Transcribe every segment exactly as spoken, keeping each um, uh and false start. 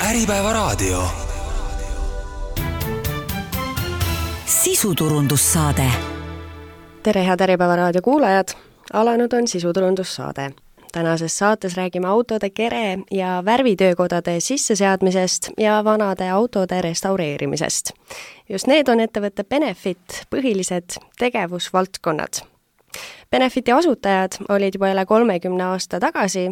Äripäevaraadio. Sisuturundussaade. Tere, head Äripäevaraadio kuulajad! Alanud on sisuturundussaade. Tänases saates räägime autode kere- ja värvitöökodade sisseseadmisest ja vanade autode restaureerimisest. Just need on ettevõtte Benefit põhilised tegevusvaldkonnad. Benefiti asutajad olid juba üle kolmekümne aasta tagasi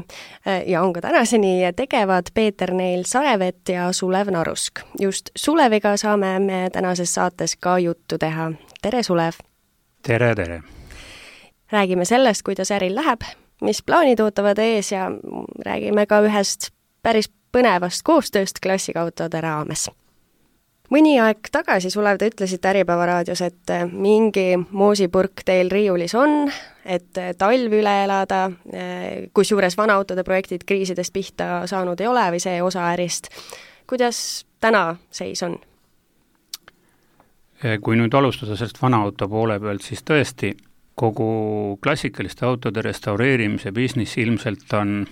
ja on ka tänaseni tegevad Peeter Neil Sarevet ja Sulev Narusk. Just Suleviga saame me tänases saates ka juttu teha. Tere, Sulev! Tere, tere! Räägime sellest, kuidas äril läheb, mis plaanid ootavad ees ja räägime ka ühest päris põnevast koostööst klassikautode raames. Mõni aeg tagasi, Sulev, te ütlesite Äripäevaraadios, et mingi moosipurk teil riiulis on, et talv üle elada, kus juures vanaautode projektid kriisidest pihta saanud ei ole või see osa ärist. Kuidas täna seis on? Kui nüüd alustada sellest vanaauto poole pealt, siis tõesti kogu klassikaliste autode restaureerimise business ilmselt on,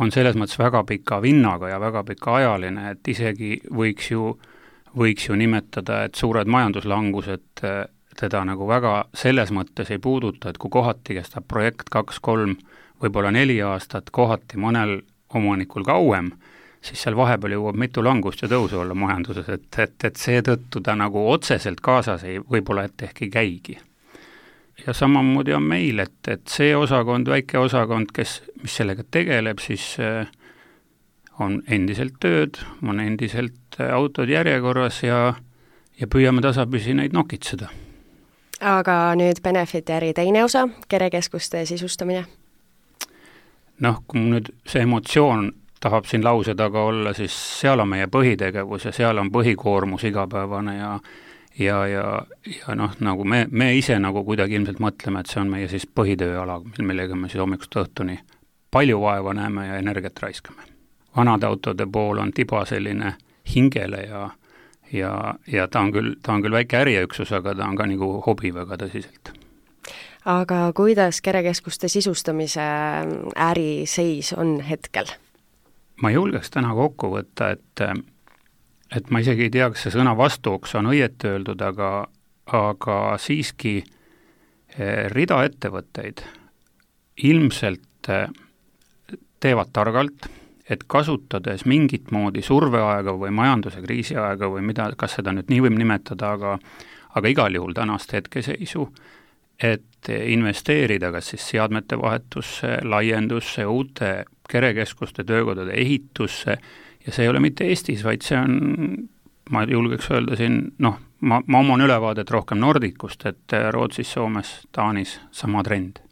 on selles mõttes väga pika vinnaga ja väga pika ajaline, et isegi võiks ju võiks ju nimetada, et suured majanduslangused teda nagu väga selles mõttes ei puuduta, et kui kohati kestab projekt kaks, kolm, võib-olla neli aastat, kohati mõnel omanikul kauem, siis seal vahepeal jõuab mitu langust ja tõusu olla majanduses, et, et, et seetõttu ta nagu otseselt kaasas ei, võib-olla et ehk ei käigi. Ja samamoodi on meil, et, et see osakond, väike osakond, kes, mis sellega tegeleb, siis on endiselt tööd, on endiselt autod järjekorras ja, ja püüame tasapisi neid nokitseda. Aga nüüd Benefiti äri teine osa, kerekeskuste sisustamine? Noh, kui nüüd see emotsioon tahab siin lause taga olla, siis seal on meie põhitegevus ja seal on põhikoormus igapäevane ja ja, ja, ja noh, nagu me, me ise nagu kuidagi ilmselt mõtleme, et see on meie siis põhitööala, millega me siis hommikust õhtuni palju vaeva näeme ja energiat raiskame. Vanade autode pool on tiba selline hingele ja, ja, ja ta on küll, ta on küll väike äriüksus, aga ta on ka nagu hobi väga tõsiselt. Aga kuidas kerekeskuste sisustamise äri seis on hetkel? Ma julgeks täna kokku võtta, et, et ma isegi ei tea, kas see sõna vastuoks on õieti öeldud, aga, aga siiski rida ettevõtteid ilmselt teevad targalt, et kasutades mingit moodi surveaega või majanduse kriisiaega või mida, kas seda nüüd nii võib nimetada, aga, aga igal juhul tänast hetkeseisu, et investeerida kas siis seadmete vahetusse, laiendusse, uute kerekeskuste töökodade ehitusse ja see ei ole mitte Eestis, vaid see on, ma julgeks öelda siin, noh, ma, ma oman ülevaadet rohkem Nordicust, et Rootsis, Soomes, Taanis sama trend.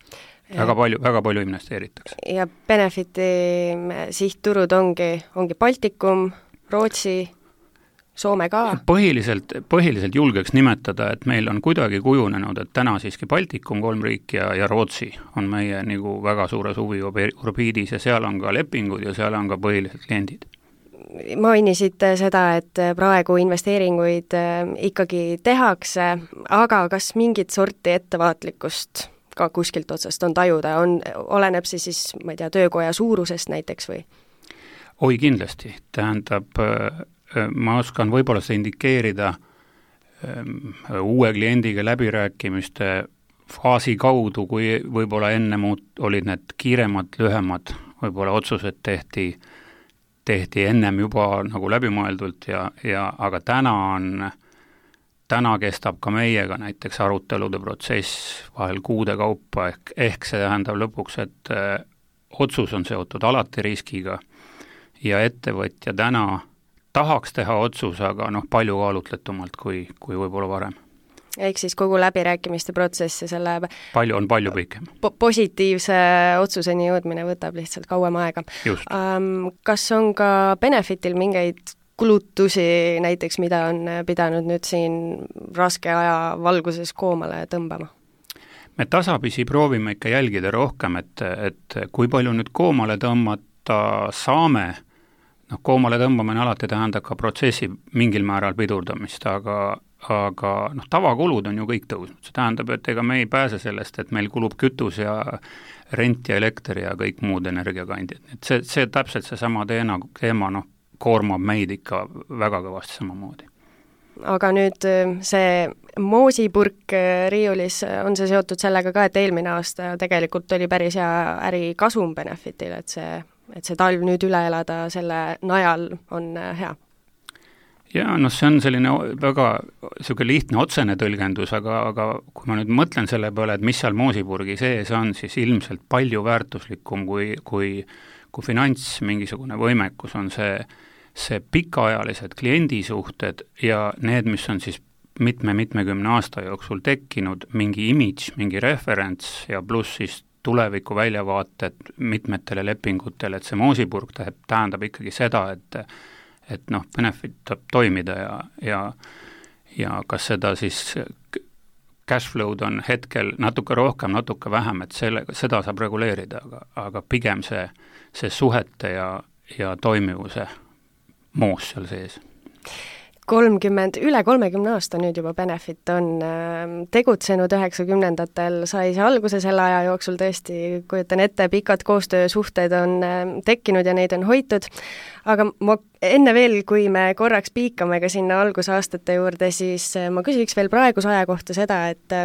Väga palju, väga palju investeeritakse. Ja Benefiti sihtturud ongi, ongi Baltikum, Rootsi, Soome ka? Põhiliselt, põhiliselt julgeks nimetada, et meil on kuidagi kujunenud, et täna siiski Baltikum, kolm riiki ja, ja Rootsi on meie nagu väga suures huvi orbiidis ja seal on ka lepingud ja seal on ka põhilised kliendid. Mainisite seda, et praegu investeeringuid ikkagi tehakse, aga kas mingit sorti ettevaatlikkust ka kuskilt otsast on tajuda, on, oleneb see siis, ma ei tea, töökoja suurusest näiteks või? Oi, kindlasti. Tähendab, ma oskan võib-olla seda indikeerida uue kliendiga läbirääkimiste faasi kaudu, kui võib-olla enne muud olid need kiiremad, lühemad, võib-olla otsused tehti, tehti ennem juba nagu läbimõeldult ja, ja aga täna on Täna kestab ka meiega näiteks arutelude protsess vahel kuude kaupa, ehk, ehk see tähendab lõpuks, et äh, otsus on seotud alati riskiga ja ettevõtja täna tahaks teha otsus, aga noh, palju kaalutletumalt kui, kui võib-olla varem. Ehk siis kogu läbirääkimiste protsess ja selle palju on palju pikem. Po- positiivse otsuseni jõudmine võtab lihtsalt kauem aega. Um, kas on ka Benefitil mingeid kulutusi näiteks, mida on pidanud nüüd siin raske aja valguses koomale tõmbama? Me tasapisi proovime ikka jälgida rohkem, et, et kui palju nüüd koomale tõmmata saame, noh, koomale tõmbamine alati tähendab ka protsessi mingil määral pidurdamist, aga, aga noh, tavakulud on ju kõik tõusnud. See tähendab, et ega me ei pääse sellest, et meil kulub kütus ja rent ja elekter ja kõik muud energiakandjad. Et see, see täpselt seesama teema, teema noh, koormab meid ikka väga kõvasti samamoodi. Aga nüüd see moosipurk riiulis, on see seotud sellega ka, et eelmine aasta tegelikult oli päris hea ärikasum Benefitil, et see, et see talv nüüd üle elada selle najal on hea? Jaa, noh, see on selline väga selline lihtne otsene tõlgendus, aga, aga kui ma nüüd mõtlen selle peale, et mis seal moosipurgi sees on, siis ilmselt palju väärtuslikum kui, kui, kui finants mingisugune võimekus on see, see pikaajalised kliendisuhted ja need, mis on siis mitme-mitmekümne aasta jooksul tekkinud, mingi imidž, mingi referents ja pluss siis tuleviku väljavaated mitmetele lepingutele, et see moosipurg tähendab ikkagi seda, et et noh, Benefit saab toimida ja, ja, ja kas seda siis cash flow'd on hetkel natuke rohkem, natuke vähem, et selle, seda saab reguleerida, aga, aga pigem see, see suhete ja, ja toimivuse moos seal sees. kolmkümmend, üle kolmekümne aasta nüüd juba Benefit on tegutsenud, üheksakümnendatel sai see alguse selle aja jooksul tõesti, kujutan ette, pikad koostöösuhted on tekkinud ja neid on hoitud, aga ma enne veel, kui me korraks piikame ka sinna algusaastate juurde, siis ma küsiks veel praeguse aja kohta seda, et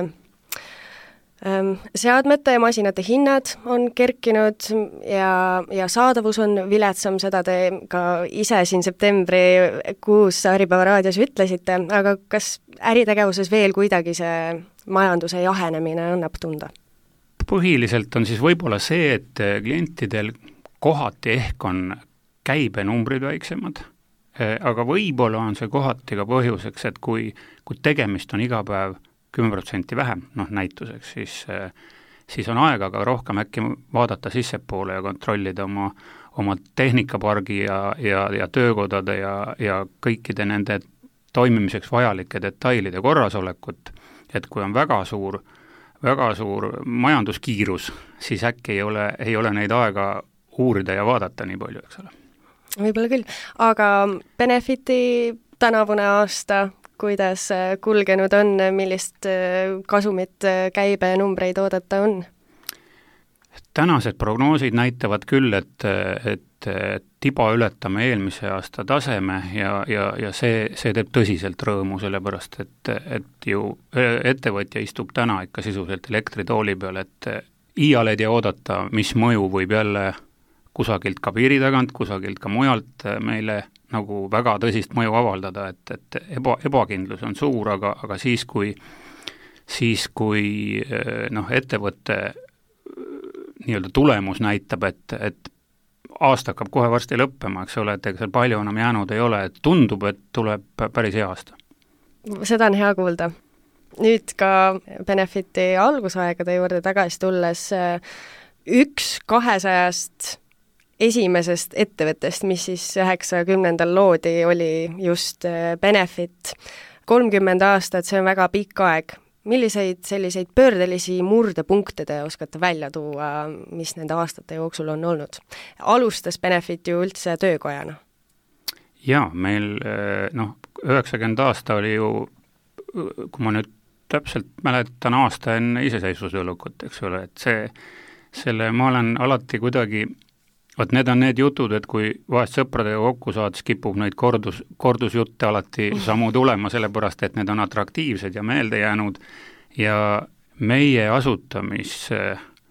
seadmete ja masinate hinnad on kerkinud ja, ja saadavus on viletsam, seda te ka ise siin septembrikuus Äripäeva raadios ütlesite, aga kas äritegevuses veel kuidagi see majanduse jahenemine annab tunda? Põhiliselt on siis võib-olla see, et klientidel kohati ehk on käibenumbrid väiksemad, aga võib-olla on see kohati ka põhjuseks, et kui, kui tegemist on iga päev kümme protsenti vähem, noh näituseks, siis, siis on aega ka rohkem äkki vaadata sissepoole ja kontrollida oma, oma tehnikapargi ja, ja, ja töökodade ja, ja kõikide nende toimimiseks vajalike detailide korrasolekut, et kui on väga suur, väga suur majanduskiirus, siis äkki ei ole, ei ole neid aega uurida ja vaadata nii palju, eks ole. Võib-olla küll, aga Benefiti tänavune aasta kuidas kulgenud on, millist kasumit, käibenumbreid oodata on? Tänased prognoosid näitavad küll, et, et tiba ületame eelmise aasta taseme ja, ja, ja see, see teeb tõsiselt rõõmu, sellepärast et, et ju ettevõtja istub täna ikka sisuliselt elektritooli peal, et iial ei tea oodata, mis mõju võib jälle kusagilt ka piiri tagant, kusagilt ka mujalt meile nagu väga tõsist mõju avaldada, et, et eba, ebakindlus on suur, aga, aga siis, kui, siis, kui noh, ettevõtte nii-öelda tulemus näitab, et, et aasta hakkab kohe varsti lõppema, eks ole, et ega seal palju enam jäänud ei ole, et tundub, et tuleb päris hea aasta. Seda on hea kuulda. Nüüd ka Benefiti algusaegade juurde tagasi tulles üks kahesajast esimesest ettevõttest, mis siis üheksakümnendal loodi, oli just Benefit. kolmkümmend aastat, see on väga pikk aeg. Milliseid selliseid pöördelisi murdepunkte te oskate välja tuua, mis nende aastate jooksul on olnud? Alustas Benefit ju üldse töökojana? Jaa, meil noh, üheksakümmend aasta oli ju, kui ma nüüd täpselt mäletan aasta enne iseseisvusõlukut, eks ole, et see, selle ma olen alati kuidagi Vot need on need jutud, et kui vahest sõpradega kokku saad, siis kipub neid kordus, kordusjutte alati samu tulema, sellepärast et need on atraktiivsed ja meelde jäänud ja meie asutamis,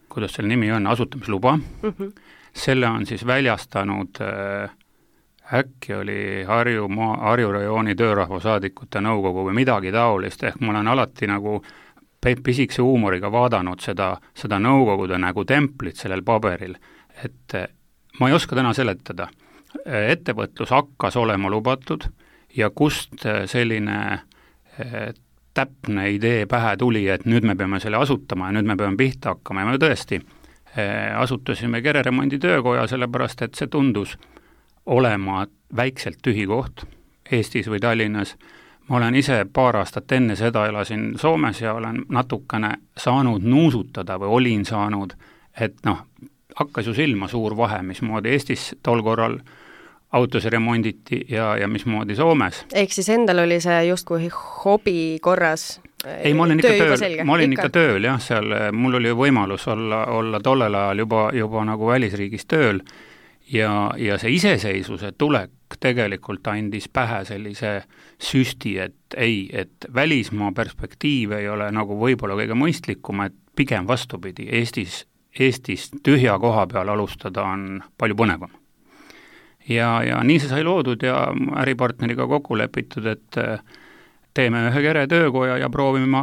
kuidas selle nimi on, asutamisluba, mm-hmm. selle on siis väljastanud äh, äkki oli Harju, Harju rajooni töörahvasaadikute nõukogu või midagi taolist, ehk ma olen alati nagu pisikese huumoriga vaadanud seda, seda nõukogude nagu templit sellel paberil, et ma ei oska täna seletada. Ettevõtlus hakkas olema lubatud ja kust selline täpne idee pähe tuli, et nüüd me peame selle asutama ja nüüd me peame pihta hakkama ja me tõesti asutasime kereremondi töökoja, sellepärast et see tundus olema väikselt tühi koht Eestis või Tallinnas. Ma olen ise paar aastat enne seda elasin Soomes ja olen natukene saanud nuusutada või olin saanud, et noh, hakkas ju silma suur vahe, mismoodi Eestis tol korral autosi remonditi ja, ja mismoodi Soomes. Ehk siis endal oli see justkui hobi korras? Ei, ma olin ikka tööl, ma olin ikka, ikka tööl, jah, seal mul oli võimalus olla, olla tollel ajal juba, juba nagu välisriigis tööl ja, ja see iseseisvuse tulek tegelikult andis pähe sellise süsti, et ei, et välismaa perspektiiv ei ole nagu võib-olla kõige mõistlikum, et pigem vastupidi, Eestis, Eestis tühja koha peal alustada on palju põnevam. Ja, ja nii see sai loodud ja äripartneriga kokku lepitud, et teeme ühe kere töökoja ja proovime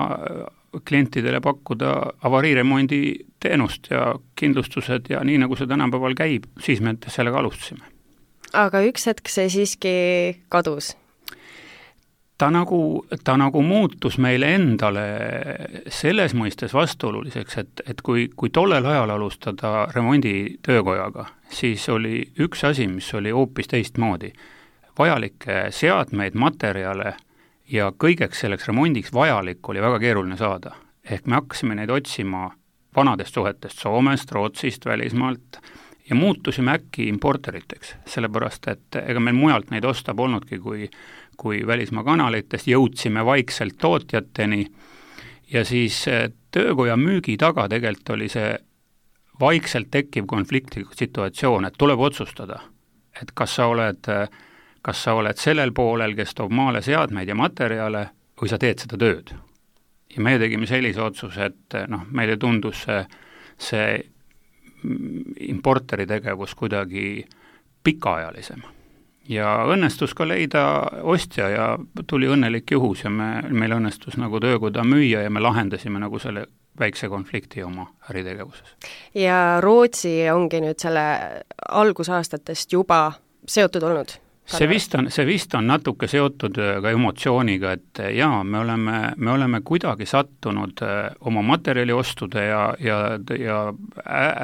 klientidele pakkuda avariiremondi teenust ja kindlustused ja nii, nagu see tänapäeval käib, siis me sellega alustasime. Aga üks hetk see siiski kadus? Ta nagu, ta nagu muutus meile endale selles mõistes vastuoluliseks, et, et kui, kui tollel ajal alustada remondi töökojaga, siis oli üks asi, mis oli hoopis teistmoodi. Vajalikke seadmeid, materjale ja kõigeks selleks remondiks vajalik oli väga keeruline saada. Ehk me hakkasime neid otsima vanadest suhetest Soomest, Rootsist, välismaalt ja muutusime äkki importeriteks, sellepärast et ega meil mujalt neid osta polnudki, kui, kui välismaa kanalitest, jõudsime vaikselt tootjateni ja siis töökoja müügi taga tegelikult oli see vaikselt tekkiv konfliktlik situatsioon, et tuleb otsustada, et kas sa oled kas sa oled sellel poolel, kes toob maale seadmeid ja materjale, või sa teed seda tööd. Ja me tegime sellise otsuse, et noh, meile tundus see, see importeri tegevus kuidagi pikaajalisem. Ja õnnestus ka leida ostja ja tuli õnnelik juhus ja me, meil õnnestus nagu töökoda müüa ja me lahendasime nagu selle väikse konflikti oma äritegevuses. Ja Rootsi ongi nüüd selle algusaastatest juba seotud olnud? See vist, on, see vist on natuke seotud ka emotsiooniga, et jaa, me oleme, me oleme kuidagi sattunud oma materjaliostude ja, ja, ja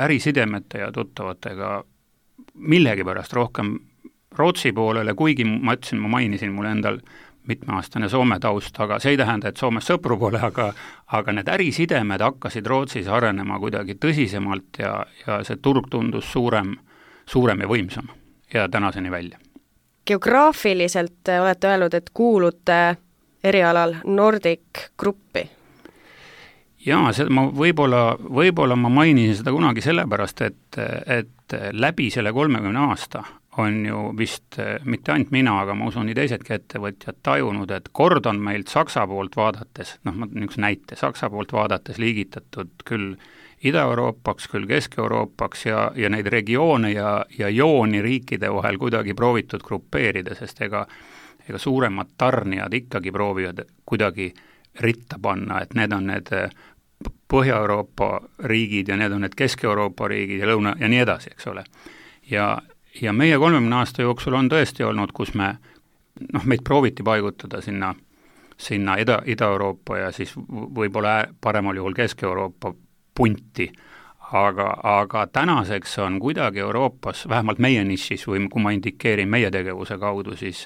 ärisidemete ja tuttavatega millegipärast rohkem Rootsi poolele, kuigi ma ütlesin, ma mainisin mulle endal mitmeaastane Soome taust, aga see ei tähenda, et Soomes sõpru pole, aga, aga need ärisidemed hakkasid Rootsis arenema kuidagi tõsisemalt ja, ja see turg tundus suurem, suurem ja võimsam ja tänaseni välja. Geograafiliselt olete öelnud, et kuulute erialal Nordic gruppi? Jaa, seda ma võib-olla, võib-olla ma mainisin seda kunagi sellepärast, et, et läbi selle kolmekümne aasta on ju vist mitte ainult mina, aga ma usun nii teisedki ettevõtjad tajunud, et kord on meilt Saksa poolt vaadates, noh, ma niisuguse näite, Saksa poolt vaadates liigitatud küll Ida-Euroopaks, küll Kesk-Euroopaks ja, ja neid regioone ja, ja jooni riikide vahel kuidagi proovitud grupeerida, sest ega, ega suuremad tarnijad ikkagi proovivad kuidagi ritta panna, et need on need Põhja-Euroopa riigid ja need on need Kesk-Euroopa riigid ja Lõuna ja nii edasi, eks ole. Ja, ja meie kolmekümne aasta jooksul on tõesti olnud, kus me, noh, meid prooviti paigutada sinna, sinna Ida, Ida-Euroopa ja siis võib-olla paremal juhul Kesk-Euroopa punti, aga, aga tänaseks on kuidagi Euroopas, vähemalt meie nišis või kui ma indikeerin meie tegevuse kaudu, siis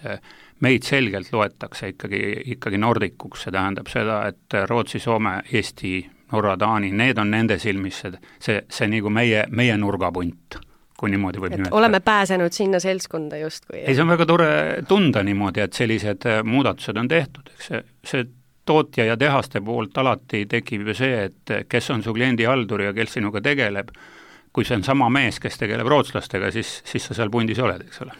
meid selgelt loetakse ikkagi, ikkagi nordikuks, see tähendab seda, et Rootsi, Soome, Eesti, Norra, Taani, need on nende silmis see, see, see nagu meie, meie nurgapunt, kui niimoodi võib nimetada. Oleme pääsenud sinna seltskonda justkui. Ei, see on väga tore tunda niimoodi, et sellised muudatused on tehtud, eks see, see tootja ja tehaste poolt alati tekib ju see, et kes on su kliendi haldur ja kes sinuga tegeleb, kui see on sama mees, kes tegeleb rootslastega, siis, siis sa seal pundis oled, eks ole.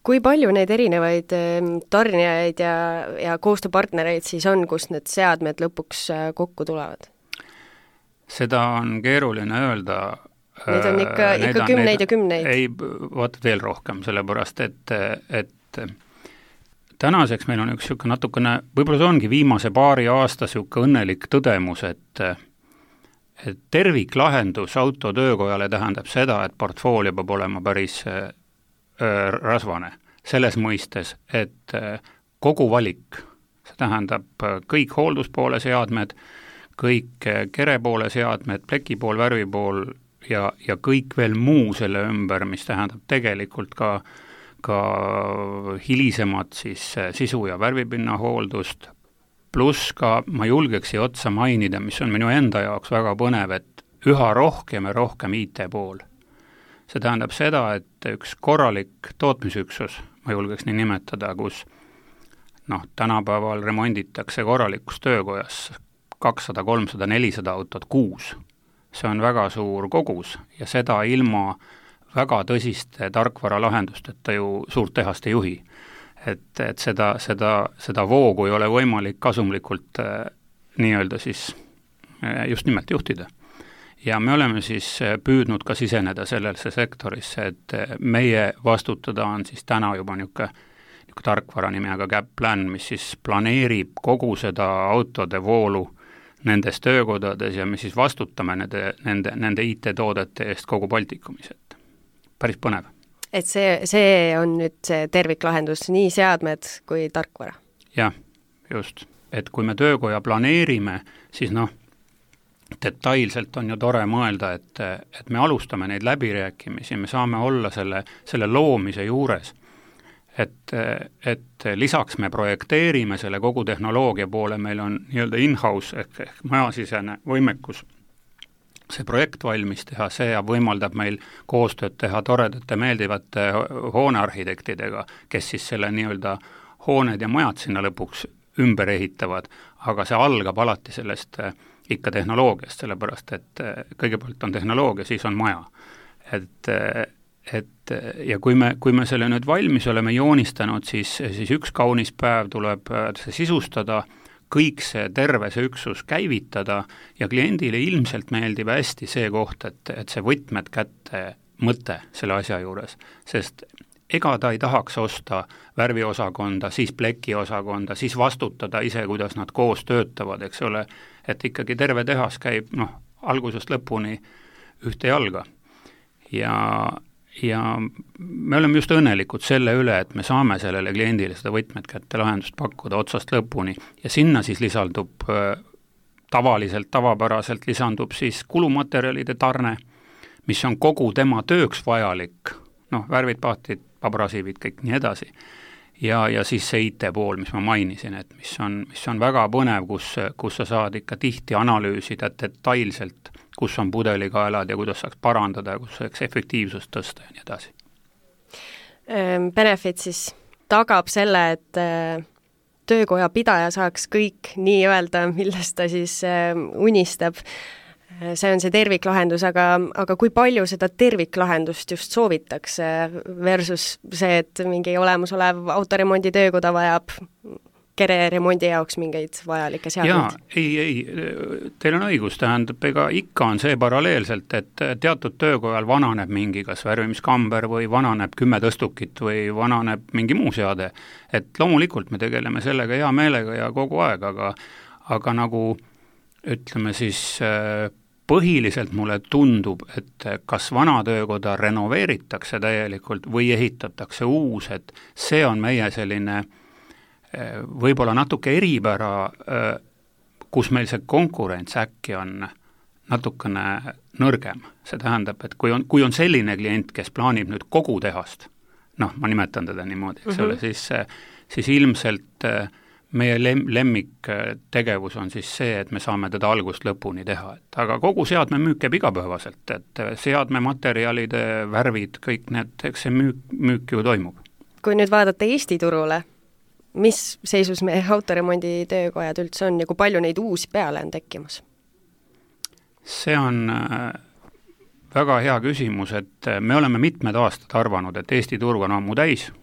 Kui palju neid erinevaid tarnijaid ja, ja koostööpartnereid siis on, kus need seadmed lõpuks kokku tulevad? Seda on keeruline öelda. Need on ikka, ikka on, kümneid need, ja kümneid. Ei, vaata veel rohkem, sellepärast, et, et tänaseks meil on üks niisugune natukene, võib-olla see ongi viimase paari aasta niisugune õnnelik tõdemus, et, et terviklahendus autotöökojale tähendab seda, et portfoolio peab olema päris äh, rasvane. Selles mõistes, et äh, kogu valik, see tähendab kõik hoolduspoole seadmed, kõik kerepoole seadmed, plekipool, värvipool ja, ja kõik veel muu selle ümber, mis tähendab tegelikult ka ka hilisemad siis sisu- ja värvipinna hooldust, pluss ka ma julgeks otsa mainida, mis on minu enda jaoks väga põnev, et üha rohkem ja rohkem I T pool. See tähendab seda, et üks korralik tootmisüksus, ma julgeks nii nimetada, kus noh, tänapäeval remonditakse korralikus töökojas kakssada, kolmsada, nelisada autot kuus. See on väga suur kogus ja seda ilma väga tõsiste tarkvaralahendusteta ju suurt tehast ei juhi. Et, et seda, seda, seda voogu ei ole võimalik kasumlikult äh, nii-öelda siis äh, just nimelt juhtida. Ja me oleme siis püüdnud ka siseneda sellesse sektorisse, et meie vastutada on siis täna juba niisugune tarkvara nimega CapPlan, mis siis planeerib kogu seda autode voolu nendes töökodades ja me siis vastutame nende, nende, nende I T-toodete eest kogu Baltikumis, et päris põnev. Et see, see on nüüd see terviklahendus, nii seadmed kui tarkvara? Jah, just. Et kui me töökoja planeerime, siis noh, detailselt on ju tore mõelda, et, et me alustame neid läbirääkimisi, me saame olla selle, selle loomise juures. Et, et lisaks me projekteerime selle kogu tehnoloogia poole, meil on nii-öelda in-house ehk, ehk majasisene võimekus see projekt valmis teha, see võimaldab meil koostööd teha toredate meeldivate hoonearhitektidega, kes siis selle nii-öelda hooned ja majad sinna lõpuks ümber ehitavad, aga see algab alati sellest ikka tehnoloogiast, sellepärast et kõigepealt on tehnoloogia, siis on maja. Et, et ja kui me, kui me selle nüüd valmis oleme joonistanud, siis, siis üks kaunis päev tuleb see sisustada, kõik see terve see üksus käivitada ja kliendile ilmselt meeldib hästi see koht, et, et see võtmed kätte mõte selle asja juures, sest ega ta ei tahaks osta värviosakonda, siis plekiosakonda, siis vastutada ise, kuidas nad koos töötavad, eks ole, et ikkagi terve tehas käib noh, algusest lõpuni ühte jalga. Ja, ja me oleme just õnnelikud selle üle, et me saame sellele kliendile seda võtmed kätte lahendust pakkuda otsast lõpuni ja sinna siis lisaldub tavaliselt, tavapäraselt lisandub siis kulumaterjalide tarne, mis on kogu tema tööks vajalik, noh, värvid, pahtid, pabrasiivid, kõik nii edasi. Ja, ja siis see I T pool, mis ma mainisin, et mis on, mis on väga põnev, kus, kus sa saad ikka tihti analüüsida detailselt, kus on pudelikaelad ja kuidas saaks parandada ja kus saaks efektiivsust tõsta ja nii edasi. Benefit siis tagab selle, et töökoja pidaja saaks kõik nii-öelda, millest ta siis unistab. See on see terviklahendus, aga, aga kui palju seda terviklahendust just soovitakse versus see, et mingi olemusolev autoremondi töökoda vajab kere remondi jaoks mingeid vajalikke seadmeid? Jaa, ei, ei, teil on õigus, tähendab, ega ikka on see paralleelselt, et teatud töökojal vananeb mingi kas värvimiskamber või vananeb kümme tõstukit või vananeb mingi muu seade, et loomulikult me tegeleme sellega hea meelega ja kogu aeg, aga, aga nagu ütleme siis põhiliselt mulle tundub, et kas vana töökoda renoveeritakse täielikult või ehitatakse uus, et see on meie selline võib-olla natuke eripära, kus meil see konkurents äkki on natukene nõrgem. See tähendab, et kui on, kui on selline klient, kes plaanib nüüd kogu tehast, noh, ma nimetan teda niimoodi, eks mm-hmm. ole, siis, siis ilmselt meie lem, lemmiktegevus on siis see, et me saame teda algust lõpuni teha, et aga kogu seadme müük käib igapäevaselt, et seadme materjalide, värvid, kõik need, eks see müük, müük ju toimub. Kui nüüd vaadata Eesti turule, mis seisus meie autoremondi töökojad üldse on ja kui palju neid uusi peale on tekkimas? See on väga hea küsimus, et me oleme mitmed aastad arvanud, et Eesti turg on ammu täis,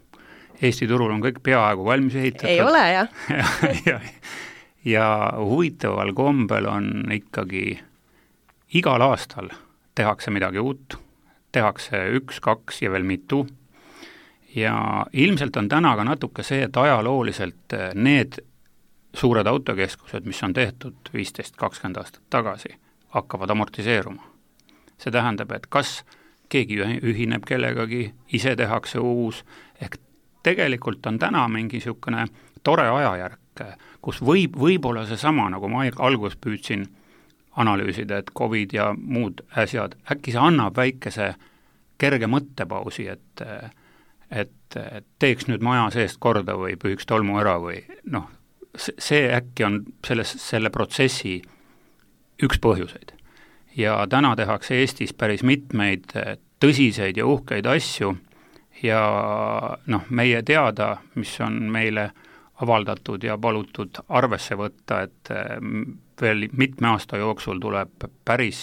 Eesti turul on kõik peaaegu valmis ehitatud. Ei ole, jah. ja, ja, ja huvitaval kombel on ikkagi igal aastal tehakse midagi uut, tehakse üks, kaks ja veel mitu. Ja ilmselt on täna ka natuke see, et ajalooliselt need suured autokeskused, mis on tehtud viisteist kakskümmend aastat tagasi, hakkavad amortiseeruma. See tähendab, et kas keegi ühineb kellegagi, ise tehakse uus, ehk tegelikult on täna mingi niisugune tore ajajärk, kus võib, võib-olla seesama, nagu ma alguses püüdsin analüüsida, et COVID ja muud äsjad, äkki see annab väikese kerge mõttepausi, et, et, et teeks nüüd maja seest korda või pühiks tolmu ära või noh, see äkki on selles, selle protsessi üks põhjuseid. Ja täna tehakse Eestis päris mitmeid tõsiseid ja uhkeid asju, ja noh, meie teada, mis on meile avaldatud ja palutud arvesse võtta, et veel mitme aasta jooksul tuleb päris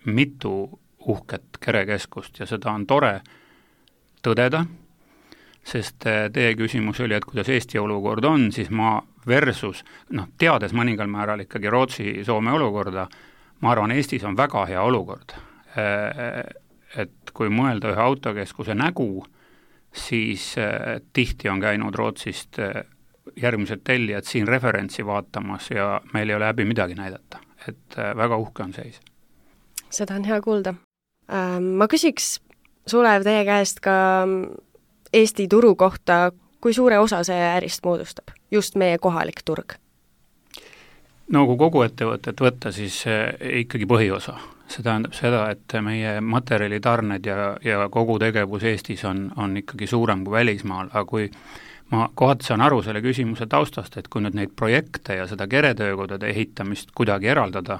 mitu uhket kerekeskust ja seda on tore tõdeda, sest teie küsimus oli, et kuidas Eesti olukord on, siis ma versus, noh, teades mõningal määral ikkagi Rootsi-Soome olukorda, ma arvan, Eestis on väga hea olukord. Et kui mõelda ühe autokeskuse nägu, siis tihti on käinud Rootsist järgmised tellijad siin referentsi vaatamas ja meil ei ole häbi midagi näidata. Et väga uhke on seis. Seda on hea kuulda. Ma küsiks, Sulev, teie käest ka Eesti turu kohta, kui suure osa see ärist moodustab? Just meie kohalik turg. No kui kogu ettevõtet võtta, siis ikkagi põhiosa. See tähendab seda, et meie materjalitarned ja, ja kogu tegevus Eestis on, on ikkagi suurem kui välismaal, aga kui ma kohati saan aru selle küsimuse taustast, et kui nüüd neid projekte ja seda keretöökodade ehitamist kuidagi eraldada,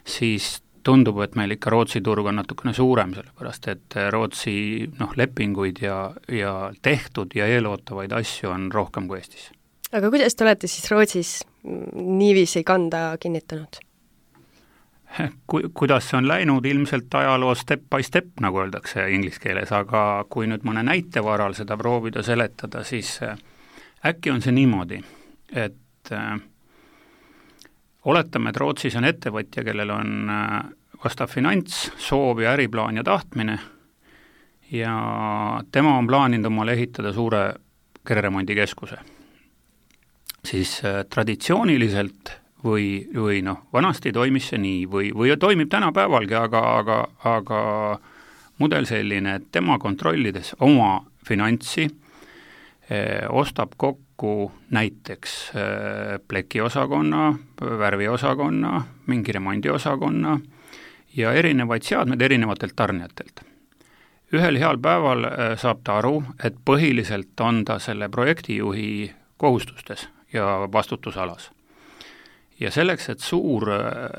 siis tundub, et meil ikka Rootsi turg on natukene suurem, sellepärast et Rootsi noh, lepinguid ja, ja tehtud ja eelootavaid asju on rohkem kui Eestis. Aga kuidas te olete siis Rootsis niiviisi kanda kinnitanud? Ku, kuidas see on läinud, ilmselt ajaloo step by step, nagu öeldakse inglise keeles, aga kui nüüd mõne näite varal seda proovida seletada, siis äkki on see niimoodi, et äh, oletame, et Rootsis on ettevõtja, kellel on äh, vastav finants, soov ja äriplaan ja tahtmine ja tema on plaaninud omale ehitada suure kereremondikeskuse. Siis äh, traditsiooniliselt või, või noh, vanasti toimis see nii või, või toimib tänapäevalgi, aga, aga, aga mudel selline, et tema kontrollides oma finantsi eh, ostab kokku näiteks eh, plekiosakonna, värviosakonna, mingi remondiosakonna ja erinevaid seadmed erinevatelt tarnijatelt. Ühel heal päeval eh, saab ta aru, et põhiliselt on ta selle projektijuhi kohustustes ja vastutusalas. Ja selleks, et suur,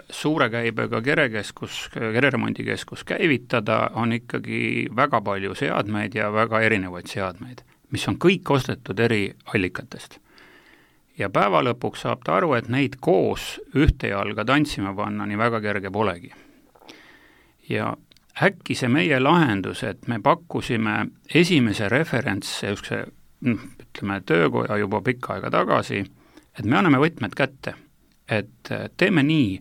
suure käibega kerekeskus, kereremondikeskus käivitada, on ikkagi väga palju seadmeid ja väga erinevaid seadmeid, mis on kõik ostetud eri allikatest. Ja päeva lõpuks saab ta aru, et neid koos ühte jalga tantsima panna nii väga kerge polegi. Ja äkki see meie lahendus, et me pakkusime esimese referentse, ütleme, töökoja juba pikka aega tagasi, et me anname võtmed kätte, et teeme nii,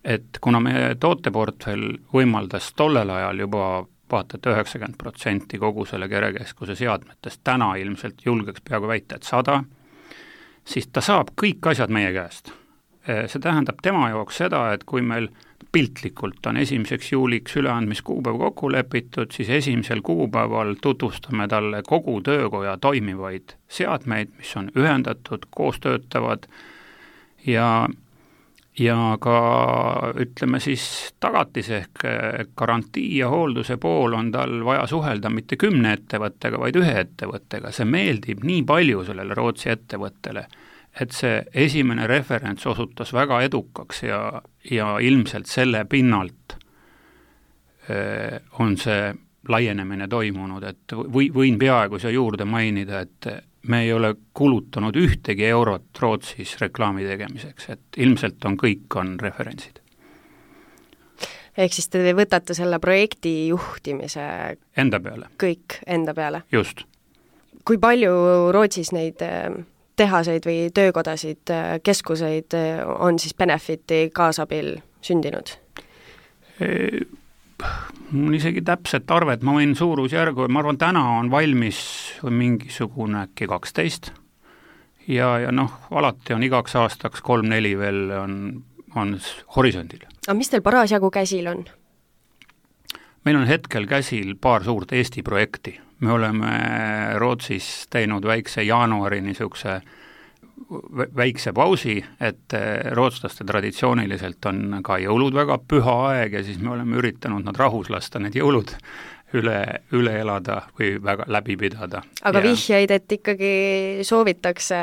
et kuna meie tooteportfell võimaldas tollel ajal juba vaata, et üheksakümmend protsenti kogu selle kerekeskuse seadmetest, täna ilmselt julgeks peaaegu väita, et sada, siis ta saab kõik asjad meie käest. See tähendab tema jaoks seda, et kui meil piltlikult on esimeseks juuliks üleandmiskuupäev kokku lepitud, siis esimesel kuupäeval tutvustame talle kogu töökoja toimivaid seadmeid, mis on ühendatud, koos töötavad ja ja ka ütleme siis tagatis ehk garantii ja hoolduse pool on tal vaja suhelda mitte kümne ettevõttega, vaid ühe ettevõttega. See meeldib nii palju sellele Rootsi ettevõttele, et see esimene referents osutas väga edukaks ja, ja ilmselt selle pinnalt on see laienemine toimunud, et või, võin peaaegu siia juurde mainida, et me ei ole kulutanud ühtegi eurot Rootsis reklaami tegemiseks, et ilmselt on kõik on referentsid. Ehk siis te võtate selle projekti juhtimise enda peale. Kõik enda peale? Just. Kui palju Rootsis neid tehaseid või töökodasid, keskuseid on siis Benefiti kaasabil sündinud? E mul isegi täpset arvet, ma võin suurusjärgu, ma arvan, täna on valmis mingisugune äkki kaksteist ja, ja noh, alati on igaks aastaks kolm-neli veel on, on horisondil. Aga mis teil parasjagu käsil on? Meil on hetkel käsil paar suurt Eesti projekti. Me oleme Rootsis teinud väikse jaanuari niisuguse väikse pausi, et rootslaste traditsiooniliselt on ka jõulud väga püha aeg ja siis me oleme üritanud nad rahus lasta need jõulud üle, üle elada või väga läbi pidada. Aga ja vihjeid, et ikkagi soovitakse?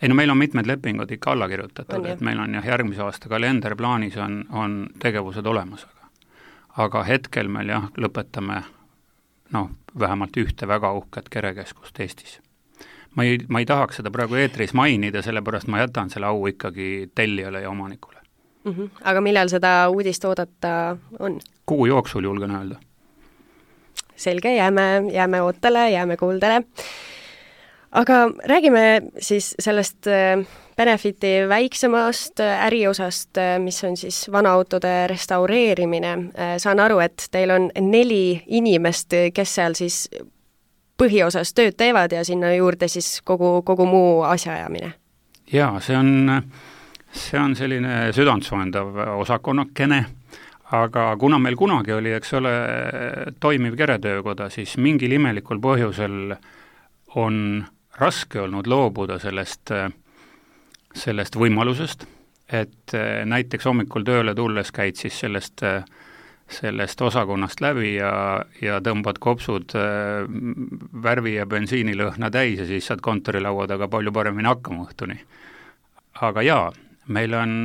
Ei no meil on mitmed lepingud ikka alla kirjutatud, on, et meil on jah, järgmise aasta kalender plaanis on, on tegevused olemas. Aga, aga hetkel meil jah, lõpetame noh, vähemalt ühte väga uhket kerekeskust Eestis. Ma ei, ma ei tahaks seda praegu eetris mainida, sellepärast ma jätan selle au ikkagi tellijale ja omanikule. Mm-hmm. Aga millal seda uudist oodata on? Kuu jooksul julgen öelda. Selge, jääme, jääme ootele, jääme kuuldele. Aga räägime siis sellest Benefiti väiksemast äriosast, mis on siis vanaautode restaureerimine. Saan aru, et teil on neli inimest, kes seal siis põhiosas tööd teevad ja sinna juurde siis kogu, kogu muu asjaajamine. Jaa, see on, see on selline südantsoendav osakonnakene, aga kuna meil kunagi oli, eks ole, toimiv keretöökoda, siis mingil imelikul põhjusel on raske olnud loobuda sellest, sellest võimalusest, et näiteks hommikul tööle tulles käid siis sellest, sellest osakonnast läbi ja, ja tõmbad kopsud värvi ja bensiinilõhna täis ja siis saad kontorilaua taga palju paremini hakkama õhtuni. Aga jaa, meil on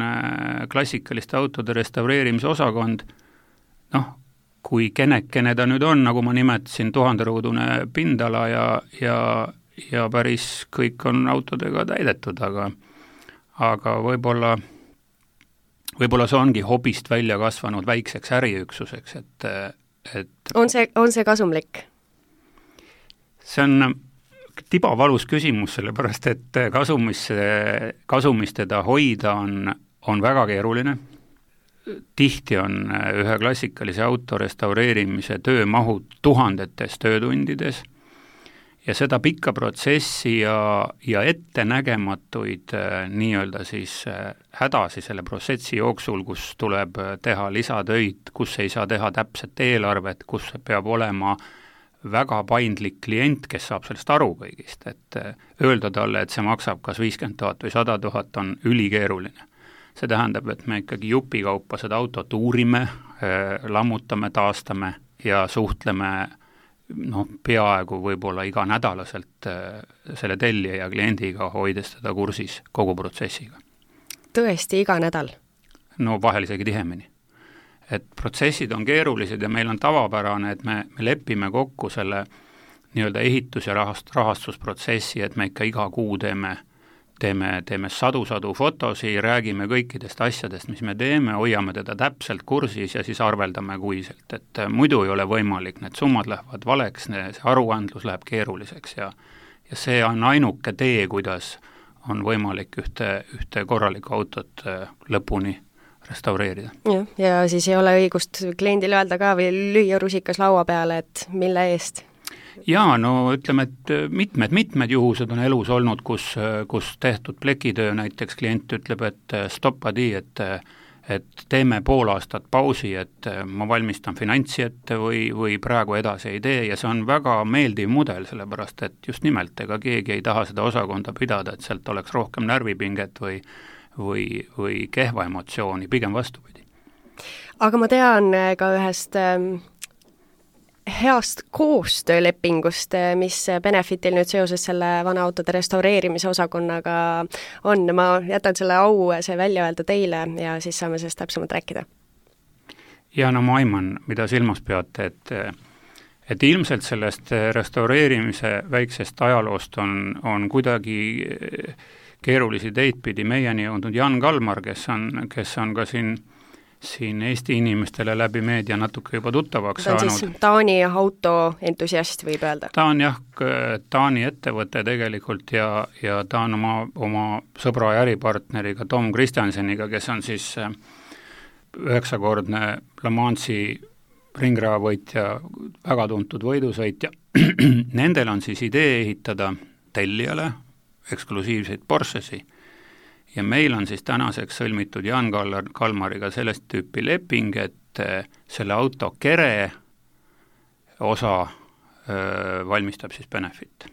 klassikaliste autode restaureerimise osakond, noh, kui kenekene ta nüüd on, nagu ma nimetasin, tuhanderuudune pindala ja, ja ja päris kõik on autodega täidetud, aga aga võib-olla võib-olla see ongi hobist välja kasvanud väikseks äriüksuseks, et, et on see, on see kasumlik? See on tibavalus küsimus, sellepärast et kasumis, kasumis teda hoida on, on väga keeruline. Tihti on ühe klassikalise auto restaureerimise töömahud tuhandetes töötundides ja seda pikka protsessi ja, ja ettenägematuid nii-öelda siis hädasi selle protsessi jooksul, kus tuleb teha lisatöid, kus ei saa teha täpset eelarvet, kus peab olema väga paindlik klient, kes saab sellest aru kõigist, et öelda talle, et see maksab kas viiskümmend tuhat või sada tuhat on ülikeeruline. See tähendab, et me ikkagi jupikaupa seda autot uurime, lammutame, taastame ja suhtleme noh, peaaegu võib-olla iga nädalaselt selle tellija ja kliendiga, hoides teda kursis kogu protsessiga. Tõesti, iga nädal? No vahel isegi tihemini. Et protsessid on keerulised ja meil on tavapärane, et me, me lepime kokku selle nii-öelda ehitus- ja rahast, rahastusprotsessi, et me ikka iga kuu teeme teeme, teeme sadu-sadu fotosi, räägime kõikidest asjadest, mis me teeme, hoiame teda täpselt kursis ja siis arveldame kuiselt, et muidu ei ole võimalik, need summad lähevad valeks, see aruandlus läheb keeruliseks ja, ja see on ainuke tee, kuidas on võimalik ühte, ühte korralikku autot lõpuni restaureerida. Ja, ja siis ei ole õigust kliendile öelda ka või lüüa rusikas laua peale, et mille eest? Jaa, no ütleme, et mitmed-mitmed juhused on elus olnud, kus, kus tehtud plekitöö, näiteks klient ütleb, et stoppadi, et, et teeme pool aastat pausi, et ma valmistan finantsi ette või, või praegu edasi ei tee ja see on väga meeldiv mudel, sellepärast et just nimelt, ega keegi ei taha seda osakonda pidada, et sealt oleks rohkem närvipinget või, või, või kehva emotsiooni, pigem vastupidi. Aga ma tean ka ühest heast koostöölepingust, mis Benefitil nüüd seoses selle vanaautode restaureerimise osakonnaga on. Ma jätan selle au see välja öelda teile ja siis saame sellest täpsemalt rääkida. Ja no ma aiman, mida silmas peate, et, et ilmselt sellest restaureerimise väiksest ajaloost on, on kuidagi keerulisi teid pidi meieni jõudnud Jan Kalmar, kes on, kes on ka siin siin Eesti inimestele läbi meedia natuke juba tuttavaks saanud. Ta on siis Taani autoentusiast, võib öelda? Ta on jah, Taani ettevõte tegelikult ja, ja ta on oma, oma sõbra ja äripartneriga Tom Kristjanseniga, kes on siis üheksakordne Le Mansi ringraavõitja, väga tuntud võidusõitja. Nendel on siis idee ehitada tellijale eksklusiivseid Porschesi. Ja meil on siis tänaseks sõlmitud Jan Kalmariga sellest tüüpi leping, et selle auto kere osa öö, valmistab siis Benefit.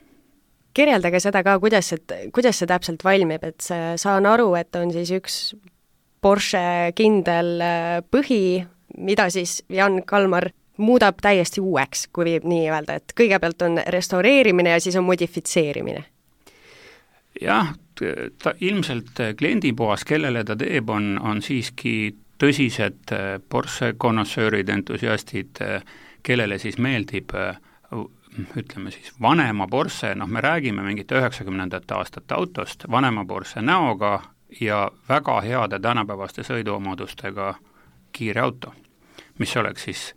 Kirjeldage seda ka, kuidas, et, kuidas see täpselt valmib, et see, saan aru, et on siis üks Porsche kindel põhi, mida siis Jan Kalmar muudab täiesti uueks, kui viib nii öelda, et kõigepealt on restaureerimine ja siis on modifitseerimine. Jah, ta ilmselt kliendipoas, kellele ta teeb, on, on siiski tõsised Porsche konnoissöörid, entusiastid, kellele siis meeldib, ütleme siis vanema Porsche, noh me räägime mingite üheksakümnendate aastate autost, vanema Porsche näoga, ja väga heade tänapäevaste sõiduomadustega kiire auto, mis oleks siis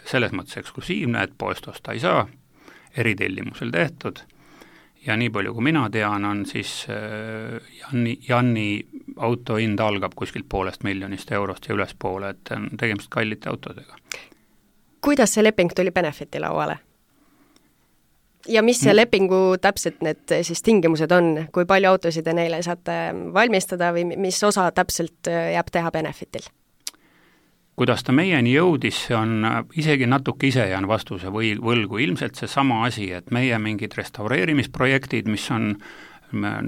selles mõttes eksklusiivne, et poest osta ei saa, eritellimusel tehtud, ja nii palju kui mina tean, on siis Janni, Janni auto hind algab kuskilt poolest miljonist eurost ja ülespoole, et on tegemist kallite autodega. Kuidas see leping tuli Benefiti lauale? Ja mis see lepingu täpselt need siis tingimused on, kui palju autosid te neile saate valmistada või mis osa täpselt jääb teha Benefitil? Kuidas ta meieni jõudis, see on isegi natuke ise jään vastuse või võlgu, ilmselt see sama asi, et meie mingid restaureerimisprojektid, mis on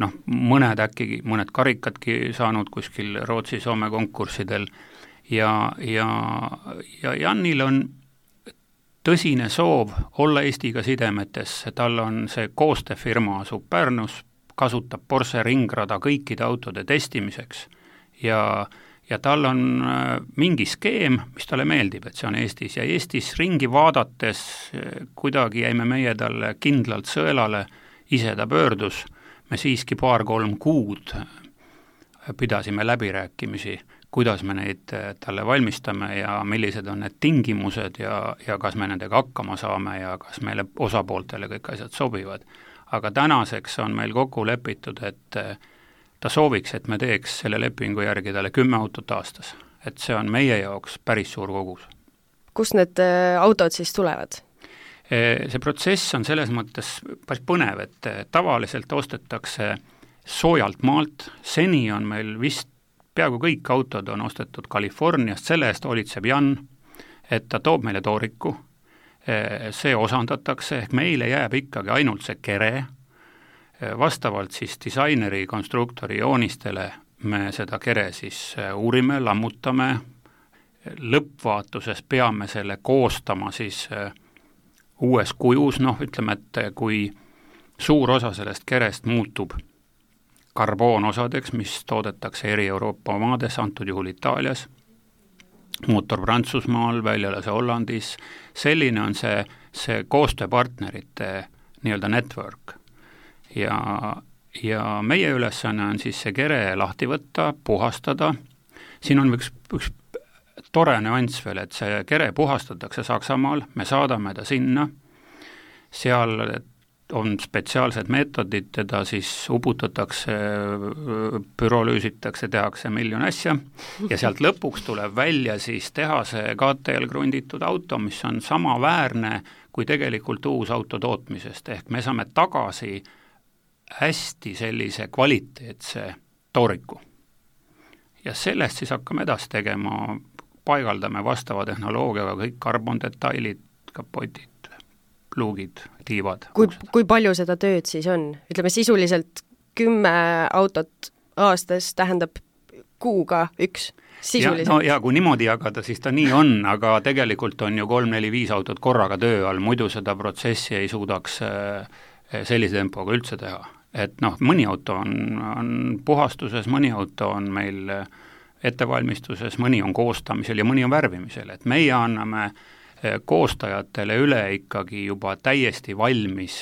noh, mõned äkki, mõned karikadki saanud kuskil Rootsi-Soome konkurssidel ja, ja, ja Jannil on tõsine soov olla Eestiga sidemetes, tal on see koostööfirma asub Pärnus, kasutab Porsche ringrada kõikide autode testimiseks ja ja tal on mingi skeem, mis talle meeldib, et see on Eestis ja Eestis ringi vaadates kuidagi jäime meie talle kindlalt sõelale, ise ta pöördus, me siiski paar-kolm kuud pidasime läbirääkimisi, kuidas me neid talle valmistame ja millised on need tingimused ja, ja kas me nendega hakkama saame ja kas meile osapooltele kõik asjad sobivad. Aga tänaseks on meil kokku lepitud, et ta sooviks, et me teeks selle lepingu järgi talle kümme autot aastas. Et see on meie jaoks päris suur kogus. Kust need autod siis tulevad? See protsess on selles mõttes päris põnev, et tavaliselt ostetakse soojalt maalt, seni on meil vist peaaegu kõik autod on ostetud Californiast, selle eest hoolitseb Jan, et ta toob meile tooriku, see osandatakse, ehk meile jääb ikkagi ainult see kere, vastavalt siis disaineri, konstruktori joonistele me seda kere siis uurime, lammutame, lõppvaatuses peame selle koostama siis uues kujus, noh ütleme, et kui suur osa sellest kerest muutub karboonosadeks, mis toodetakse eri Euroopa maades, antud juhul Itaalias, mootor Prantsusmaal, väljalase Hollandis, selline on see, see koostööpartnerite nii-öelda network. Ja, ja meie ülesanne on siis see kere lahti võtta, puhastada. Siin on üks, üks tore nüanss veel, et see kere puhastatakse Saksamaal, me saadame ta sinna, seal on spetsiaalsed meetodid, teda siis uputatakse, pürolüüsitakse, tehakse miljon asja ja sealt lõpuks tuleb välja siis teha see K T L grunditud auto, mis on sama väärne kui tegelikult uus auto tootmisest, ehk me saame tagasi hästi sellise kvaliteetse tooriku. Ja sellest siis hakkame edasi tegema, paigaldame vastava tehnoloogiaga kõik karbondetailid, kapotid, luugid, tiivad. Kui, kui palju seda tööd siis on? Ütleme sisuliselt kümme autot aastas tähendab kuuga üks sisuliselt. Ja, no ja kui niimoodi jagada, siis ta nii on, aga tegelikult on ju kolm, neli, viis autot korraga töö all, muidu seda protsessi ei suudaks sellise tempoga üldse teha. Et noh, mõni auto on, on puhastuses, mõni auto on meil ettevalmistuses, mõni on koostamisel ja mõni on värvimisel, et meie anname koostajatele üle ikkagi juba täiesti valmis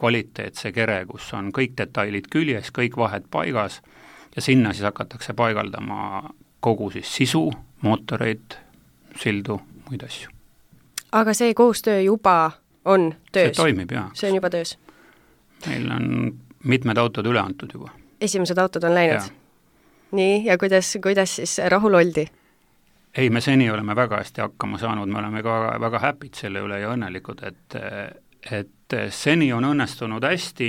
kvaliteetse kere, kus on kõik detailid küljes, kõik vahed paigas ja sinna siis hakatakse paigaldama kogu siis sisu, mootoreid, sildu, muid asju. Aga see koostöö juba on töös? See toimib, jah. See on juba töös? Meil on mitmed autod üle antud juba. Esimesed autod on läinud? Ja. Nii, ja kuidas, kuidas siis rahul oldi? Ei, me seni oleme väga hästi hakkama saanud, me oleme ka väga, väga happy'd selle üle ja õnnelikud, et, et seni on õnnestunud hästi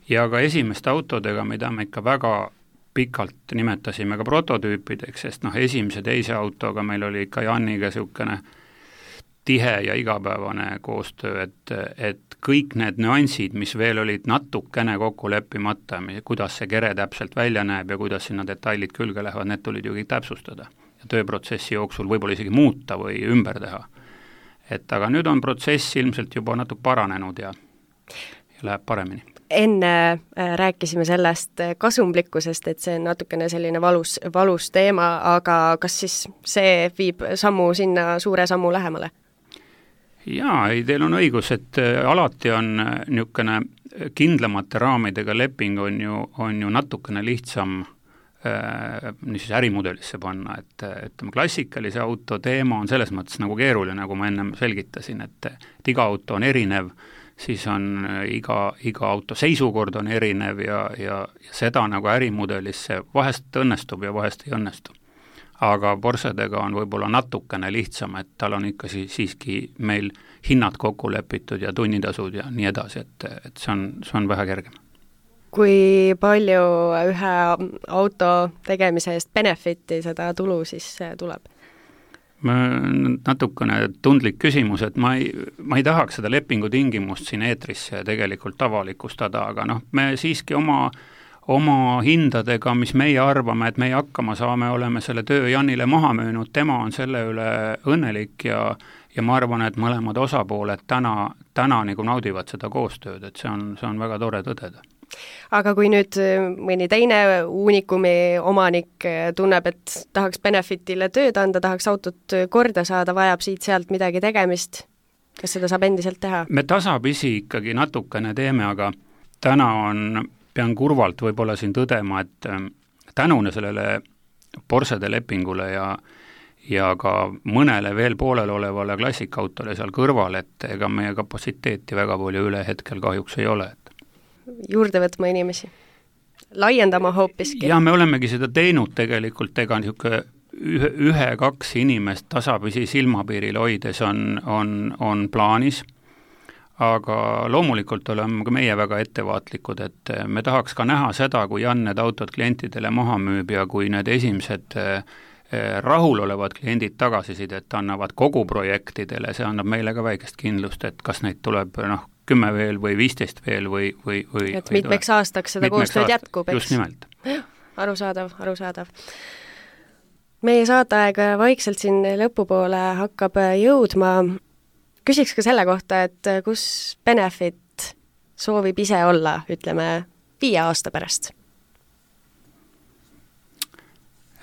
ja ka esimeste autodega, mida me ikka väga pikalt nimetasime ka prototüüpideks, sest noh, esimese teise autoga meil oli ikka Janniga niisugune tihe ja igapäevane koostöö, et, et kõik need nüansid, mis veel olid natukene kokku leppimata, kuidas see kere täpselt välja näeb ja kuidas sinna detailid külge lähevad, need tulid ju kõik täpsustada ja tööprotsessi jooksul võib-olla isegi muuta või ümber teha. Et aga nüüd on protsess ilmselt juba natuke paranenud ja, ja läheb paremini. Enne rääkisime sellest kasumlikkusest, et see on natukene selline valus, valus teema, aga kas siis see viib sammu sinna suure sammu lähemale? Jaa, ei, teil on õigus, et alati on niisugune kindlamate raamidega leping on ju, on ju natukene lihtsam äh, niisuguse ärimudelisse panna, et ütleme, klassikalise auto teema on selles mõttes nagu keeruline, nagu ma ennem selgitasin, et, et iga auto on erinev, siis on iga, iga auto seisukord on erinev ja, ja, ja seda nagu ärimudelisse vahest õnnestub ja vahest ei õnnestu. Aga Porschedega on võib-olla natukene lihtsam, et tal on ikka si- siiski meil hinnad kokku lepitud ja tunnitasud ja nii edasi, et, et see on, see on vähe kergem. Kui palju ühe auto tegemise eest benefiti seda tulu siis tuleb? Natukene tundlik küsimus, et ma ei, ma ei tahaks seda lepingu tingimust siin eetrisse tegelikult avalikustada, aga noh, me siiski oma oma hindadega, mis meie arvame, et meie hakkama saame, oleme selle töö Janile maha müünud, tema on selle üle õnnelik ja, ja ma arvan, et mõlemad osapooled täna, täna nagu naudivad seda koostööd, et see on, see on väga tore tõdeda. Aga kui nüüd mõni teine Unicumi omanik tunneb, et tahaks benefitile tööd anda, tahaks autot korda saada, vajab siit-sealt midagi tegemist, kas seda saab endiselt teha? Me tasapisi ikkagi natukene teeme, aga täna on pean kurvalt võib-olla siin tõdema, et tänune sellele Porschede lepingule ja, ja ka mõnele veel poolel olevale klassikautole seal kõrval, et ega meie kapatsiteeti väga palju üle hetkel kahjuks ei ole. Juurde võtma inimesi? Laiendama hoopiski? Ja me olemegi seda teinud tegelikult, ega niisugune ühe, ühe, kaks inimest tasapisi silmapiiril hoides on, on, on plaanis, aga loomulikult oleme ka meie väga ettevaatlikud, et me tahaks ka näha seda, kui Jan need autod klientidele maha müüb ja kui need esimesed rahulolevad kliendid tagasisidet annavad kogu projektidele, see annab meile ka väikest kindlust, et kas neid tuleb noh, kümme veel või viisteist veel või, või, või et mitmeks aastaks seda koostööd jätkub, eks? Just nimelt. Arusaadav, arusaadav. Meie saateaeg vaikselt siin lõpupoole hakkab jõudma. Küsiks ka selle kohta, et kus Benefit soovib ise olla, ütleme, viie aasta pärast?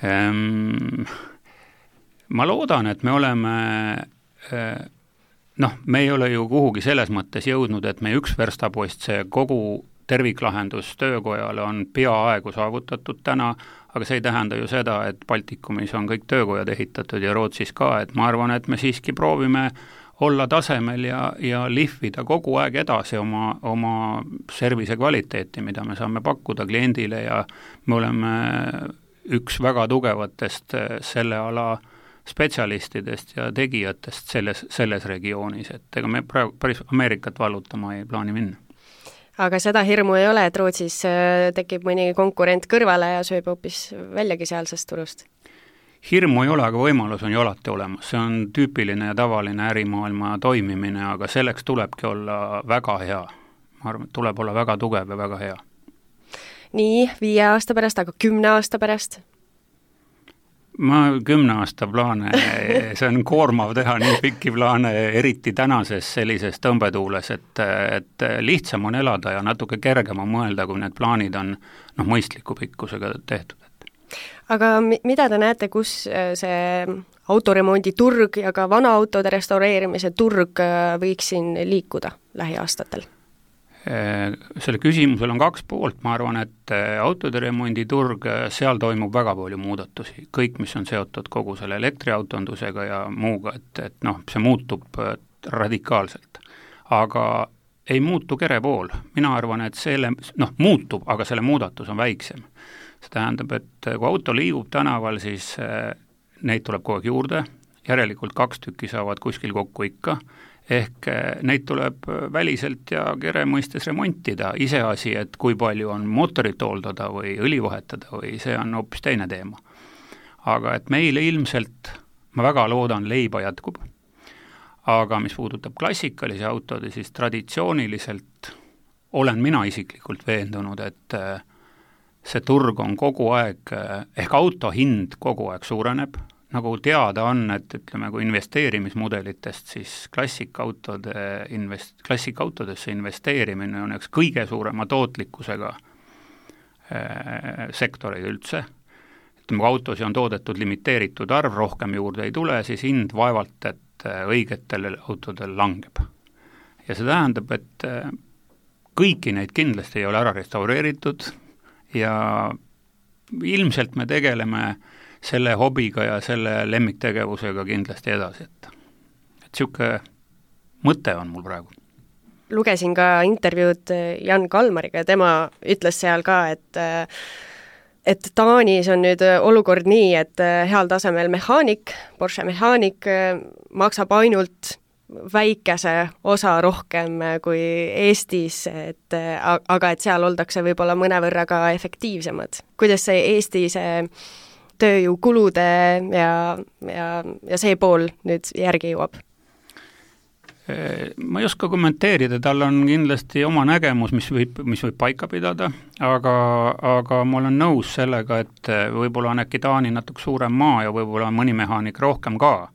Ähm, ma loodan, et me oleme, noh, me ei ole ju kuhugi selles mõttes jõudnud, et me üks verstapost, see kogu terviklahendus töökojale on peaaegu saavutatud täna, aga see ei tähenda ju seda, et Baltikumis on kõik töökojad ehitatud ja Rootsis ka, et ma arvan, et me siiski proovime olla tasemel ja, ja lihvida kogu aeg edasi oma, oma servise kvaliteeti, mida me saame pakkuda kliendile ja me oleme üks väga tugevatest selle ala spetsialistidest ja tegijatest selles, selles regioonis, et ega me praegu päris Ameerikat vallutama ei plaani minna. Aga seda hirmu ei ole, et Rootsis tekib mõni konkurent kõrvale ja sööb hoopis väljagi sealsest turust? Hirmu ei ole, aga võimalus on ju alati olemas, see on tüüpiline ja tavaline ärimaailma toimimine, aga selleks tulebki olla väga hea. Ma arvan, et tuleb olla väga tugev ja väga hea. Nii, viie aasta pärast, aga kümne aasta pärast? Ma kümne aasta plaane, see on koormav teha nii pikki plaane, eriti tänases sellises tõmbetuules, et, et lihtsam on elada ja natuke kergem on mõelda, kui need plaanid on noh, mõistliku pikkusega tehtud. Aga mida te näete, kus see autoremondi turg ja ka vana autode restaureerimise turg võiks siin liikuda lähiaastatel? Selle küsimusel on kaks poolt, ma arvan, et autode remondi turg, seal toimub väga palju muudatusi, kõik, mis on seotud kogu selle elektriautondusega ja muuga, et, et noh, see muutub radikaalselt. Aga ei muutu kere pool, mina arvan, et selle, noh, muutub, aga selle muudatus on väiksem. See tähendab, et kui auto liigub tänaval, siis neid tuleb kogu aeg juurde, järelikult kaks tükki saavad kuskil kokku ikka, ehk neid tuleb väliselt ja kere mõistes remontida, iseasi, et kui palju on mootorit hooldada või õli vahetada või see on hoopis teine teema. Aga et meile ilmselt, ma väga loodan, leiba jätkub, aga mis puudutab klassikalisi autode, siis traditsiooniliselt olen mina isiklikult veendunud, et see turg on kogu aeg, ehk auto hind kogu aeg suureneb, nagu teada on, et ütleme, kui investeerimismudelitest, siis klassikautode invest-, klassikautodesse investeerimine on üks kõige suurema tootlikkusega sektoreid üldse. Ütleme, kui autosi on toodetud limiteeritud arv, rohkem juurde ei tule, siis hind vaevalt, et õigetel autodel langeb. Ja see tähendab, et kõiki neid kindlasti ei ole ära restaureeritud ja ilmselt me tegeleme selle hobiga ja selle lemmiktegevusega kindlasti edasi, et et niisugune mõte on mul praegu. Lugesin ka intervjuud Jan Kalmariga ja tema ütles seal ka, et et Taanis on nüüd olukord nii, et heal tasemel mehaanik, Porsche mehaanik maksab ainult väikese osa rohkem kui Eestis, et aga et seal oldakse võib-olla mõnevõrra ka efektiivsemad. Kuidas see Eesti see tööjõukulude ja, ja, ja see pool nüüd järgi jõuab? Ma ei oska kommenteerida, tal on kindlasti oma nägemus, mis võib, mis võib paika pidada, aga, aga ma olen nõus sellega, et võib-olla on äkki Taani natuke suurem maa ja võib-olla on mõni mehaanik rohkem ka,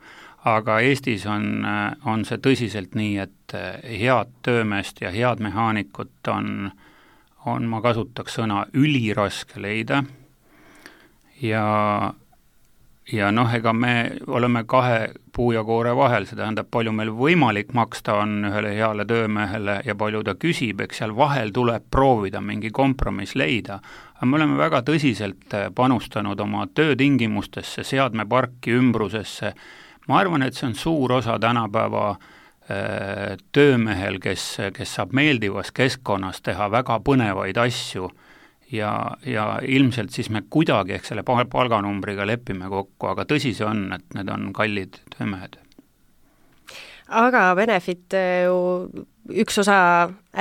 aga Eestis on, on see tõsiselt nii, et head töömeest ja head mehaanikut on, on, ma kasutaks sõna, üliraske leida ja ja noh, ega me oleme kahe puu ja koore vahel, see tähendab, palju meil võimalik maksta on ühele heale töömehele ja palju ta küsib, eks seal vahel tuleb proovida mingi kompromiss leida, aga me oleme väga tõsiselt panustanud oma töötingimustesse, seadmeparki, ümbrusesse. Ma arvan, et see on suur osa tänapäeva töömehel, kes, kes saab meeldivas keskkonnas teha väga põnevaid asju, ja, ja ilmselt siis me kuidagi ehk selle palganumbriga lepime kokku, aga tõsi see on, et need on kallid töömehed. Aga Benefit ju üks osa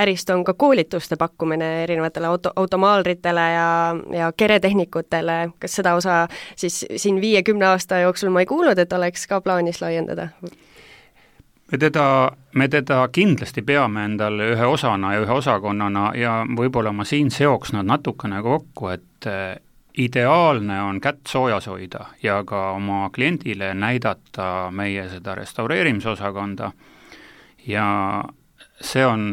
ärist on ka koolituste pakkumine erinevatele auto, automaalritele ja, ja keretehnikutele. Kas seda osa siis siin viiekümne aasta jooksul ma ei kuulnud, et oleks ka plaanis laiendada? Me teda, me teda kindlasti peame endale ühe osana ja ühe osakonnana ja võib-olla ma siin seoks nad natukene kokku, et ideaalne on kätt soojas hoida ja ka oma kliendile näidata meie seda restaureerimisosakonda ja see on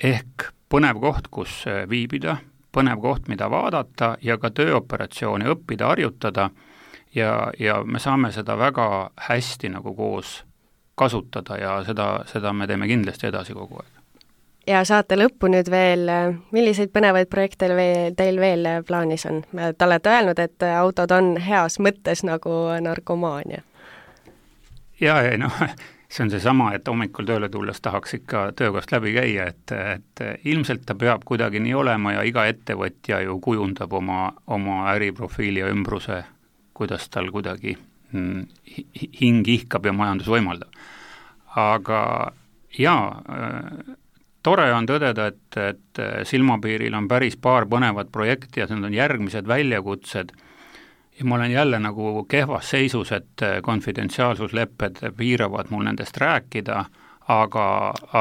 ehk põnev koht, kus viibida, põnev koht, mida vaadata ja ka tööoperatsiooni õppida, harjutada ja, ja me saame seda väga hästi nagu koos kasutada ja seda, seda me teeme kindlasti edasi kogu aeg. Ja saate lõppu nüüd veel, milliseid põnevaid projekte veel, teil veel plaanis on? Te olete öelnud, et autod on heas mõttes nagu narkomaania. Ja, ja noh, see on see sama, et hommikul tööle tulles tahaks ikka töökohast läbi käia, et, et ilmselt ta peab kuidagi nii olema ja iga ettevõtja ju kujundab oma, oma äriprofiili ja ümbruse, kuidas tal kuidagi hing ihkab ja majandus võimaldab. Aga jaa, tore on tõdeda, et, et silmapiiril on päris paar põnevat projekti ja need on järgmised väljakutsed ja ma olen jälle nagu kehvas seisus, et konfidentsiaalsuslepped piiravad mul nendest rääkida, aga,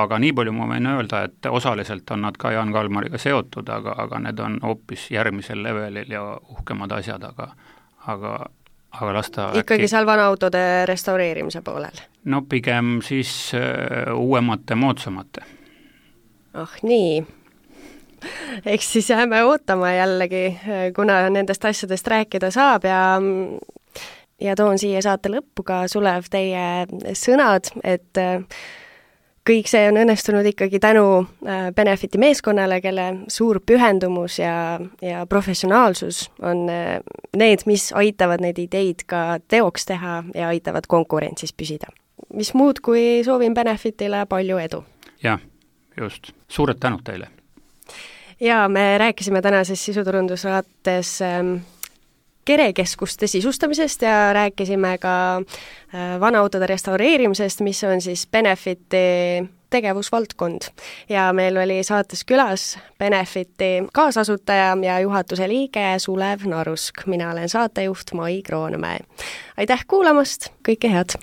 aga nii palju ma võin öelda, et osaliselt on nad ka Jan Kalmariga seotud, aga, aga need on hoopis järgmisel levelil ja uhkemad asjad, aga, aga aga lasta ikkagi äkki... seal vanaautode restaureerimise poolel? No pigem siis uh, uuemate, moodsamate. Oh nii. Eks siis jääme ootama jällegi, kuna nendest asjadest rääkida saab ja, ja toon siia saate lõppu ka Sulev teie sõnad, et kõik see on õnnestunud ikkagi tänu Benefiti meeskonnale, kelle suur pühendumus ja, ja professionaalsus on need, mis aitavad neid ideid ka teoks teha ja aitavad konkurentsis püsida. Mis muud, kui soovin Benefitile palju edu. Jah, just. Suured tänud teile. Ja me rääkisime tänases sisuturundussaates kerekeskuste sisustamisest ja rääkisime ka vanaautode restaureerimisest, mis on siis Benefiti tegevusvaldkond. Ja meil oli saates külas Benefiti kaasasutaja ja juhatuse liige Sulev Narusk. Mina olen saatejuht Mai Kroonmäe. Aitäh kuulamast, kõike head!